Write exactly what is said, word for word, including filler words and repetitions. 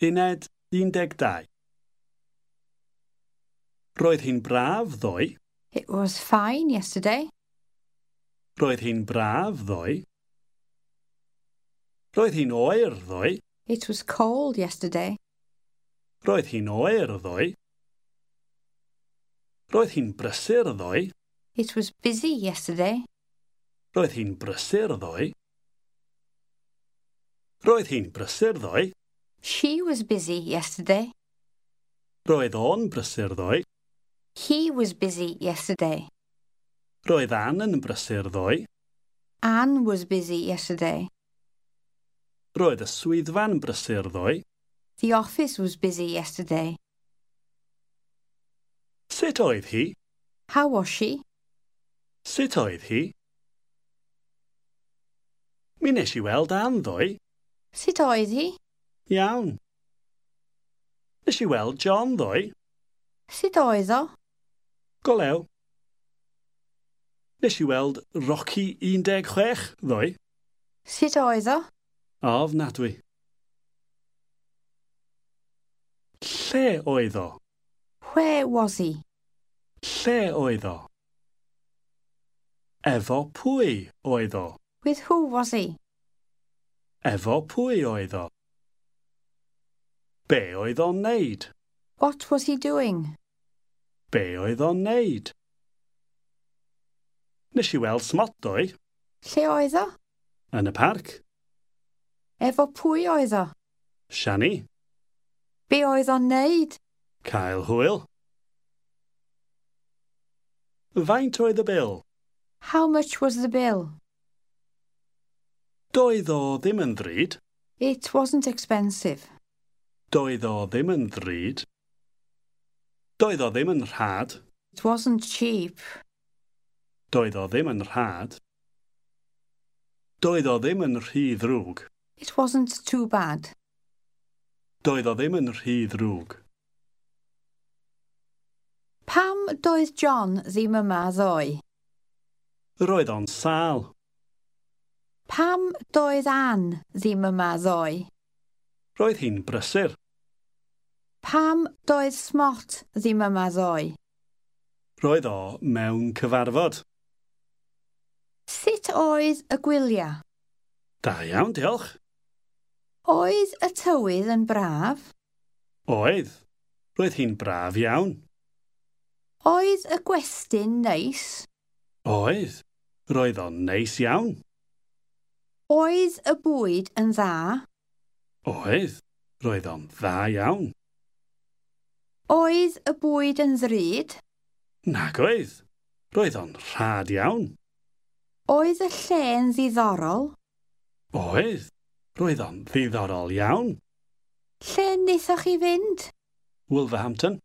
Uned un deg dau. Roedd hi'n braf ddoe. It was fine yesterday. Roedd hi'n braf ddoe. Roedd hi'n oer ddoe. It was cold yesterday. Roedd hi'n oer ddoe. Roedd hi'n brysur ddoe. It was busy yesterday. Roedd hi'n brysur ddoe. Roedd hi'n brysur ddoe. She was busy yesterday. Roedd o'n brysur ddoe. He was busy yesterday. Roedd Ann yn brysur ddoe. Anne was busy yesterday. Roedd y swyddfa'n brysur ddoe. The office was busy yesterday. Sut oedd hi? How was she? Sut oedd hi? Mi nes i weld Ann ddoe. Sut oedd hi? Iawn. Nes i weld John ddoe. Sut oedd o? Go lew. Nes i weld Rocky un deg chwech ddoe. Sut oedd o? Ofnadwy. Lle oedd o? Where was he? Lle oedd o? Efo pwy oedd o? With who was he? Efo pwy oedd o? Be oedd o'n neud? What was he doing? Be oedd o'n neud? Nes i weld Smot ddoe. Lle oedd o? Yn y parc. Efo pwy oedd o? Siani. Be oedd o'n neud? Cael hwyl. Faint oedd y bil? How much was the bill? Doedd o ddim yn ddrud. It wasn't expensive. Doedd o ddim yn ddrud. Doedd o ddim yn rhad. It wasn't cheap. Doedd o ddim yn rhad. Doedd o ddim yn rhy ddrwg. It wasn't too bad. Doedd o ddim yn rhy ddrwg. Pam doedd John ddim yma ddoe? Roedd o'n sâl. Pam doedd Anne ddim yma ddoe? Roedd hi'n brysur. Pam doedd Smot ddim yma ddoe? Roedd o mewn cyfarfod. Sut oedd y gwyliau? Da iawn, diolch. Oedd y tywydd yn braf? Oedd. Roedd hi'n braf iawn. Oedd y gwesty'n neis? Oedd. Roedd o'n neis iawn. Oedd y bwyd yn dda? Oedd. Roedd o'n dda iawn. Oedd y bwyd yn ddrud? Nag oedd. Roedd o'n rhad iawn. Oedd y lle'n ddiddorol? Oedd. Roedd o'n ddiddorol iawn. Lle wnaethoch chi fynd? Wolverhampton.